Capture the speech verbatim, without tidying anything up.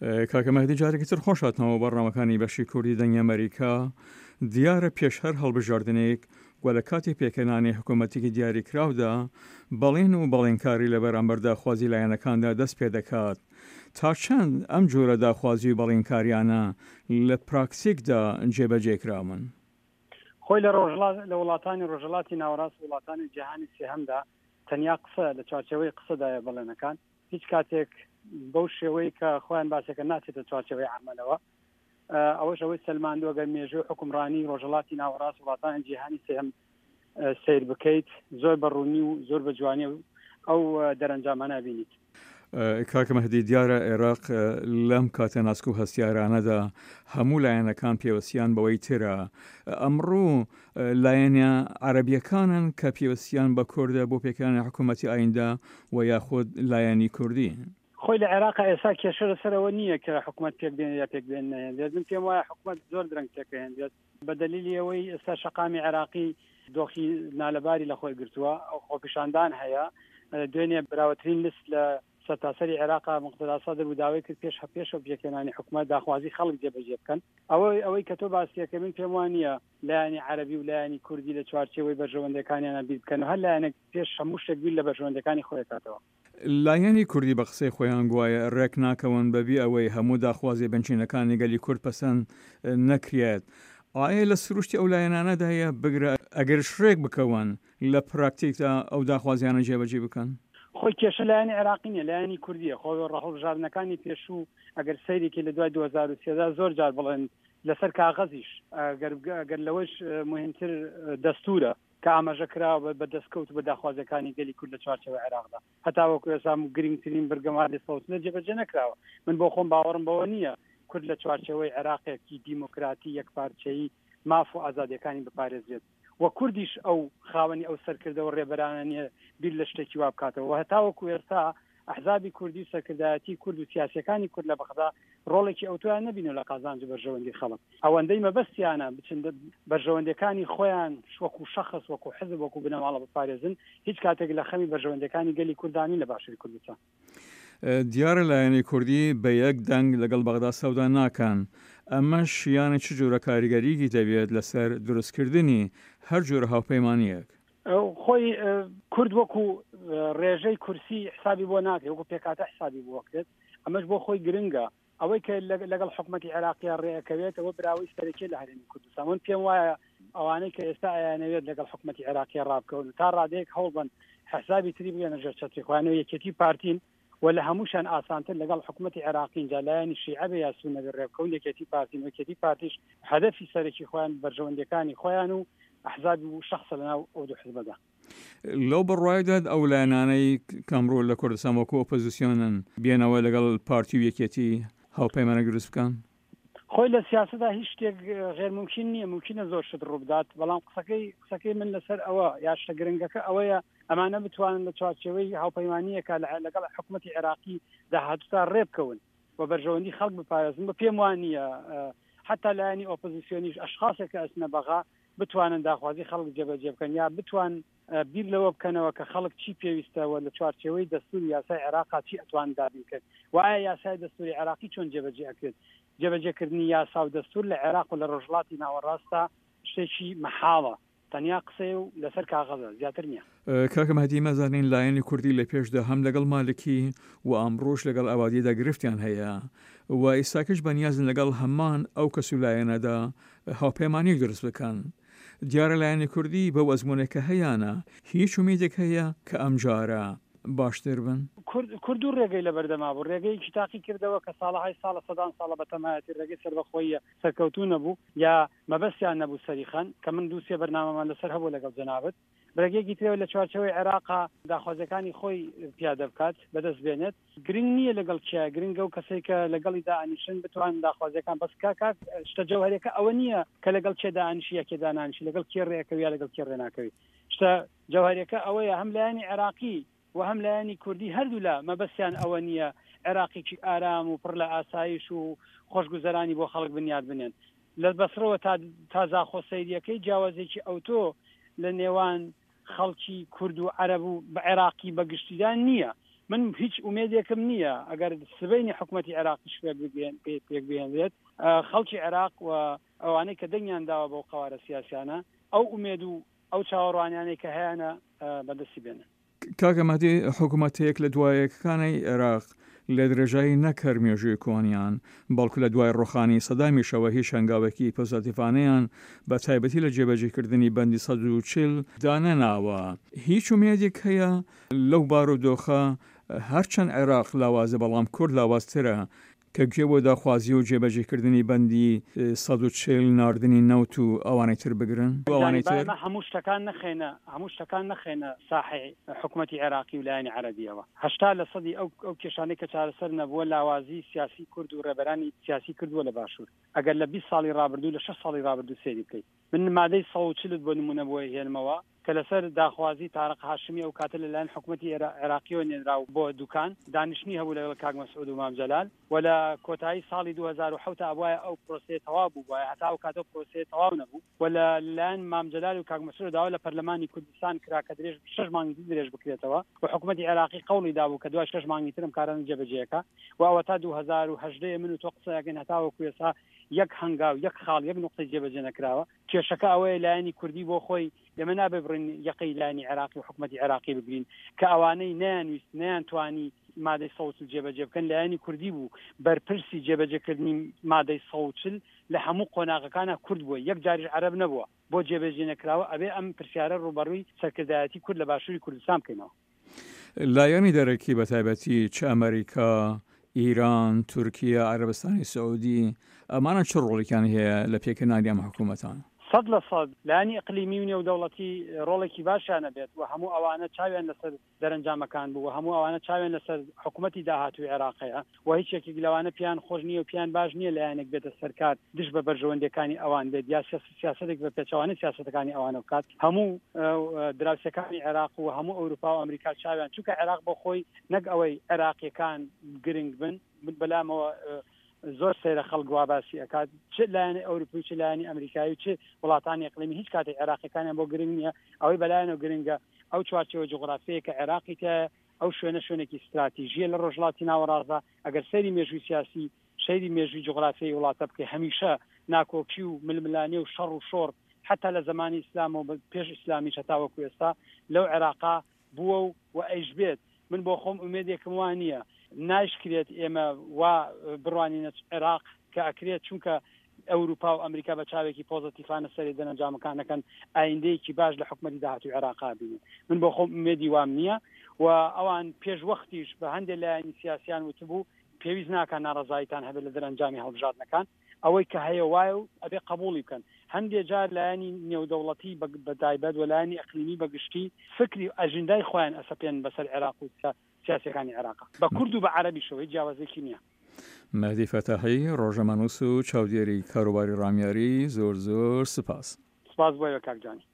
کاکە مەهدی جارێکی تر خۆش هاتنەوە بەرنامەکانی بەشی کوردی دەنگی ئەمەریکا. دیارە پێش هەر هەڵبژاردنێک و لە کاتی پێکهێنانی حکوومەتێکی دیاریکراودا بەڵێن و بەڵێنکاری لە بەرامبەر داخوازی لایەنەکاندا دەست پێ دەکات. تا چەند ئەم جۆرە داخوازی و بەڵێنکاریانە لە پراکتیکدا جێبەجێ کراون؟ خۆی لە ڕۆژهەڵات لە وڵاتانی ڕۆژهەڵاتی ناوەڕاست و وڵاتانی جیهانی سێهەمدا تەنیا قسە لە چوارچێوەی قسەدایە بەڵێنەکان هیچ کاتێک بەو شێوەی کە خۆیان باسەکە ناچێتە چوارچێوەی عەمەلەوە. ئەوەش ئەوەی سەلماندووە گەر مێژوو حوکمڕانی ڕۆژهەڵاتی ناوەڕاست وڵاتانی جیهانی سێهەم سەیر بکەیت زۆر بە ڕوونی و زۆر بە جوانی ئەو دەرەنجامانە بینیت. کاکە مەهدی دیارە عێراق لەم کاتە ناسک و هەستیارانەدا هەموو لایەنەکان پێوەستیان بەوەی ترە. ئەمڕۆ لایەنە عەرەبیەکانن کە پێوەستیان بە کوردە بۆ پێکهێنانی حکوومەتی ئایندە و یاخود لایەنی کوردی؟ خۆی لە عێراق ئێستا کێشە لەسەر ئەوە نییە کە حکوومەت پێک بێنێت یا پێک بێنێت. من پێم وایە حکوومەت زۆر درەنگ پێکهێنرێت بە دەلیلی ئەوەی ئێستا شەقامی عێراقی دۆخی نالەباری لە خۆی گرتووە، خۆپیشاندان هەیە. دوێنێ براوەترین لیست لە سەرتاسەری عێراق مقتەدا سەدر و داوای کرد پێش پێشەوە پێکهێنانی حکوومەت داخوازی خەڵک جێبەجێ بکەن. ئەوەی ئەوەی کە تۆ باسیەکە من پێم وانە لایەنی عەرەبی و لایەنی کوردی لە چوارچێوەی بەرژەوەندەکانیانە بیر بکەن و هەر لایەنێک پێش هەموو شتێک بیر لە بەرژەوەندەکانی خۆی کاتەوە. لایەنی کوردی بە قسەی خۆیان گوایە ڕێک ناکەون بەبی ئەوەی هەموو داخوازی بنچینەکانی گەلی کورد پەسەند نەکرێت. ئایا لە سروشتی ئەو لایەنانەدایە بگرە ئەگەرش ڕێک بکەون لە پراکتیکدا ئەو داخوازیانە جێبەجێ بکەن؟ خۆی کێشە لایەنی عێراقی نیە، لایەنی کوردیە. خۆ هەڵبژاردنەکانی پێشوو ئەگەر سەیرێکی لە دوای دوو هەزار و سێزدە زۆر جار بڵێن لەسەر کاغەزیش ئەگەر لەوەش مهمتر دەستورە کە ئاماژە کراوە بە دەستکەوت و بە داخوازیەکانی گەلی کورد لە چوارچێوەی عێراقدا هەتاوەکو ئێستا گرنگترین بڕگەمادەی سەوتنە جێبەجێ نەکراوە. من بۆ خۆم باوەڕم بەوە نییە کورد لە چوارچێوەی عێراقێکی دیموکراتی یەکپارچەیی ماف و ئازادیەکانی بپارێزرێت و کوردیش ئەو خاوەنی ئەو سەرکردەوە ڕێبەرانە نییە بیر لە شتێکی وا بکاتەوە. و هەتاوەکو ئێستا ئەحزابی کوردی و سەرکردایەتی کورد و سیاسیەکانی کورد لە بەغدا ڕۆڵێکی ئەوتۆیان نەبینەوە لە قازانج و بەرژەوەندی خەڵک. ئەوەندەی مەبەستیانە بچن بەرژەوەندیەکانی خۆیان وەکو شەخص وەکو حزب وەکو بنەماڵە بپارێزن، هیچ کاتێک لە خەمی بەرژەوەندیەکانی گەلی کوردانی لە باشووری کوردستان. دیارە لایەنی کوردی بە یەک دەنگ لەگەڵ بەغدا سەودا ناکەن، ئەمەش یانە چ جۆرە کاریگەریەکی دەبێت لەسەر دروستکردنی هەر جۆرە هاوپەیمانیەک؟ خۆی کورد وەکو ڕێژەی کورسی حسابی بۆ ناکرێت، وەکو پێکهاتە حسابی بۆ کرێت. ئەمەش بۆ خۆی گرنگە. ئەوەی کە لەگەڵ حکوومەتی عێراقیە ڕێەکەوێت ئەوە براوەی سەرەکی لە هەرێمی کوردستان. من پێم وایە ئەوانەی کە ئێستا ئەیانەوێت لەگەڵ حکوومەتی عێراقیە ڕابکەون تا ڕادەیەک هەوڵبن حسابی تری بگەنە ژێر چەتری خۆیان و یەکێتی پارتین و لە هەمووشان ئاسانتر لەگەڵ حکوومەتی عێراقین، جا لایەنی شیعە بێ یا سوننە بێ ڕێبکەون. یەکێتی پارتین و یەکێتی پارتیش هەدەفی سەرەکی خۆیان بەرژەوەندیەکانی خۆیان و ئەحزاب و شەخصە لەناو ئەو دوو حزبەدا. لەو بڕوایدا ئەو لایەنانەی کەمڕۆ لە کوردستان وەکو ئۆپۆزیسیۆنن بێنەوە لەگەڵ پارتی و یەکێتی هاوپەیمانە دروست بکەن؟ خۆی لە سیاسەتدا هیچ شتێک غێر ممکن نییە، ممکنە زۆر شت ڕووبدات، بەڵام قسەکەی قسەکەی من لەسەر ئەوە یا شتە گرنگەکە ئەوەیە ئەمانە بتوانن لە چوارچێوەی هاوپەیمانیەکە لەگەڵ حکوومەتی عێراقی داهاتووتا ڕێبکەون و بەرژەوەندی خەڵک بپارێزن. بە پێم وان نییە حتا لایەنی ئۆپۆزیسیۆنیش ئەشخاصێک کە ئەچنە بەغا بتوانن داخوازی خەڵک جێبەجێ بکەن یا بتوان بیر لەوە بکەنەوە کە خەڵک چی پێویستە و لە چوارچێوەی دەستوری یاسای عێراقا چی ئەتوان دابین کرد و ئایا یاسای دەستوری عێراقی چۆن جێبەجێ ئەکرێت. جێبەجێکردنی یاسا و دەستور لە عێراق و لە ڕۆژهەڵاتی ناوەڕاستدا شتێکی مەحاڵە، تەنیا قسەیە و لەسەر کاغەزە، زیاتر نییە. کاکە مەهدی مەزانین لایەنی کوردی لە پێشدا هەم لەگەڵ مالکی و ئەمڕۆش لەگەڵ عەبادیدا گرفتیان هەیە و ئێستاکەش بەنیازن لەگەڵ هەمان ئەو کەس و لایەنەدا هاوپەیمانیەک دروست بکەن. دیارە لایەنی کوردی بەو ئەزموونێک کە هەیانە هیچ ئومێدێک هەیە کە ئەمجارە باشتر بن؟ کورد کورد دوو ڕێگەی لەبەردەما بوو، ڕێگەیەکی تاقی کردەوە کە ساڵەهای ساڵە سەدان ساڵە بەتەمایەتی ڕێگەی سەربەخۆییە سەرکەوتوو نەبوو یا مەبەستیان نەبوو سەری خەن، کە من دوو سێ بەرنامەمان لەسەر هەبوو لەگەڵ جەنابت. ڕێگەیەکی ترەوە لە چوارچێوەی عێراقا داخوازیەکانی خۆی پیادە بکات، بەدەست بێنێت. گرنگ نییە لەگەڵ کیا، گرنگە و کەسێک کە لەگەڵی دائەنیشن بتوان داخوازیەکان بەس کاک شتە جەوهەرەکە ئەوە نییە کە لەگەڵ کێ دائەنیشی یا کێ دانانیشی، لەگەڵ کێ ڕێکەوی یا لەگەڵ کێ ڕێناکەوی. شتە جەوهەرەکە ئەوەیە هەم لایەنی عێراقی و هەم لایەنی کوردی هەردوولا مەبەستیان ئەوە نییە عێراقێکی ئارام و پڕ لە ئاسایش و خۆشگوزەرانی بۆ خەڵک بنیات بنێن. لە بەسرەوە تا تا زاخۆ سەیریەکەی جیاوازێکی ئەوتۆ لە نێوان خەڵکی کورد و عەرەب و عێراقی بەگشتیدا نییە. من هیچ ئومێدێکم نییە ئەگەر سبەینی حکوومەتی عێراقیش پێک بهێنرێت، خەڵکی عێراق و ئەوانەی کە دەنگیان داوە بەو قەوارە سیاسیانە ئەو ئومێد و ئەو چاوەڕوانیانەی کە هەیانە بەدەستی بێنن. کاکە مەهدی، حکوومەتەیەک لە دوایەکەکانی عێراق لە درێژایی نەک هەر مێژووی کۆنیان، بەڵکو لە دوای ڕۆخانی سەدامیشەوە هیچ هەنگاوێکی پۆزەتیڤانەیان بە تایبەتی لە جێبەجێکردنی بەندی سەد و چل دانەناوە. هیچ ئومێدێک هەیە لەو بارودۆخە؟ هەرچەند عێراق لاوازە بەڵام کورد لاوازترە کە گوێ بۆ داخوازی و جێبەجێکردنی بەندی سەد و چل ناردنی نەوت و ئەوانەی تر بگرن؟ ئەوانەی تر هەموو شتەکان نەخێنە هەموو شتەکان نەخێنە ساحەی حکوومەتی عێراقی و لایەنی عەرەبیەوە. هەشتا لە سەدی ئەو ئەو کێشانەی کە چارەسەر نەبووە لاوازی سیاسی کورد و ڕێبەرانی سیاسی کردووە لە باشوور. ئەگەر لە بیست ساڵی ڕابردوو لە شەش ساڵی ڕابردوو سەیری بکەیت، من مادەی سەد و چلت بۆ نمونە بۆ هێنمەوە کە لەسەر داخوازی تارق هاشمی ئەو کاتە لەلایەن حکوومەتی عێراقیەوە نێنرا بۆ دوکان دانیشتنی هەبوو لەگەڵ کاک مەسعود و مام جەلال و لە کۆتایی ساڵی دوو هەزار و حەوت ئەبوایە ئەو پرۆسەیە تەواو بوو بوایە، هەتا ئەو کاتە پرۆسەیە تەواو نەبوو و لە لایەن مام جەلال و کاک مەسعود داوا لە پەرلەمانی کوردستان کرا کە درێژ شەش مانگی تر درێژ بکرێتەوە و حکوومەتی عێراقی قەوڵی دابوو کە دوای شەش مانگی ترم کارانە جێبەجێەکە و ئەوە تا دوو هەزار و هەژدە من و تۆ قسەیەکەین هەتاوەکو ئێستا یەک هەنگاو یەک خاڵ یەک نقطەی جێبەجێ نەکراوە. کێشەکە ئەوەیە لایەنی کوردی بۆ خۆی ئێمە نابێ بڕین یەقەی لایەنی عێراقی و حکوومەتی عێراقی بگرین کە ئەوانەی نەیانویست نەیانتوانی مادەی سەد و چل جێبەجێ بکەن لایەنی کوردی بوو. بەرپرسی جێبەجێکردنی مادەی سەد و چل لە هەموو قۆناغەکانە کورد بووە، یەک جاریش عەرەب نەبووە. بۆ جێبەجێ نەکراوە ئەبێ ئەم پرسیارە ڕووبەڕووی سەرکردایەتی کورد لە باشووری کوردستان بکەینەوە. لایەنی دەرەکی بە تایبەتی چ ئەمریکا، ئیران، تورکیا، عەرەبستانی سعودی، ئەمانە چ ڕۆڵێکیان هەیە لە پێکهێنانی ئەم حکوومەتانە؟ سەد لە سەد لایەنی ئەقلیمی و نێودەوڵەتی ڕۆڵێکی باشیانە بێت و هەموو ئەوانە چاویان لەسەر دەرەنجامەکان بوو و هەموو ئەوانە چاویان لەسەر حکوومەتی داهاتووی عێراقەیە و هیچ یەکێک لەوانە پیان خۆش نییە و پیان باش نییە لایەنێک بێتە سەرکار دژ بە بەرژەوەندیەکانی ئەوان بێت یا سیاسەتێک بە پێچەوانەی سیاسەتەکانی ئەوانە بکات. هەموو دراوسەکانی عێراق و هەموو ئەوروپا و ئەمریکا چاویان، چونکە عێراق بۆ خۆی نەک ئەوەی عێراقیەکان گرنگ بن، بەلامەوە زۆر سەیرە خەڵک وا باسی ئەکات، چ لایەنی ئەوروپی و چ لایەنی ئەمریکایی و چ وڵاتانی ئەقلیمی هیچ کاتێک عێراقیەکانیان بۆ گرنگ نییە. ئەوەی بەلایەنەوە گرنگە ئەو چوارچێوە جوغرافیەیە کە عێراقی تایە، ئەو شوێنە شوێنێکی استراتیژیە لە ڕۆژهەڵاتی ناوەڕاستدا. ئەگەر سەیری مێژووی سیاسی، سەیری مێژووی جوغرافیای وڵاتە بکەی، هەمیشە ناکۆکی و ململانێ و شەڕ و شۆڕ حتا لە زمانی ئیسلام و پێش ئیسلامیش هەتاوەکو ئێستا لەو عێراقا بووە و و ئەیش بێت. من بۆ خۆم ئومێدێکم وا نییە، نایشکرێت ئێمە وا بڕوانینە عێراق کە ئەکرێت، چونکە ئەوروپا و ئەمریکا بە چاوێکی پۆزەتیفانە سەری دەرەنجامەکان نەکەن ئایندەیەکی باش لە حکوومەتی داهاتووی عێراقا بینن. من بۆ خۆم ئومێدی وام نییە و ئەوان پێش وەختیش بە هەندێک لایەنی سیاسیان وتبوو پێویست ناکات ناڕەزاییتان هەبێت لە دەرەنجامی هەڵبژاردنەکان، ئەوەی کە هەیە وایە و ئەبێ قبوڵی بکەن. هەندێک جار لایەنی نێودەوڵەتی بە تایبەت و لایەنی ئەقلیمی بەگشتی فکری ئەژندای خۆیان ئەسەپێن بەسەر عێراق و سیاسەکانی عێراق بە کورد و بە عەرەبیشەوە هیچ جیاوازێکی نییە. مەهدی فەتاحی، ڕۆژنامەنووس و چاودێری کاروباری ڕامیاری، زۆر زۆر سپاس. سپاس بۆ ئێوە کاک جانی.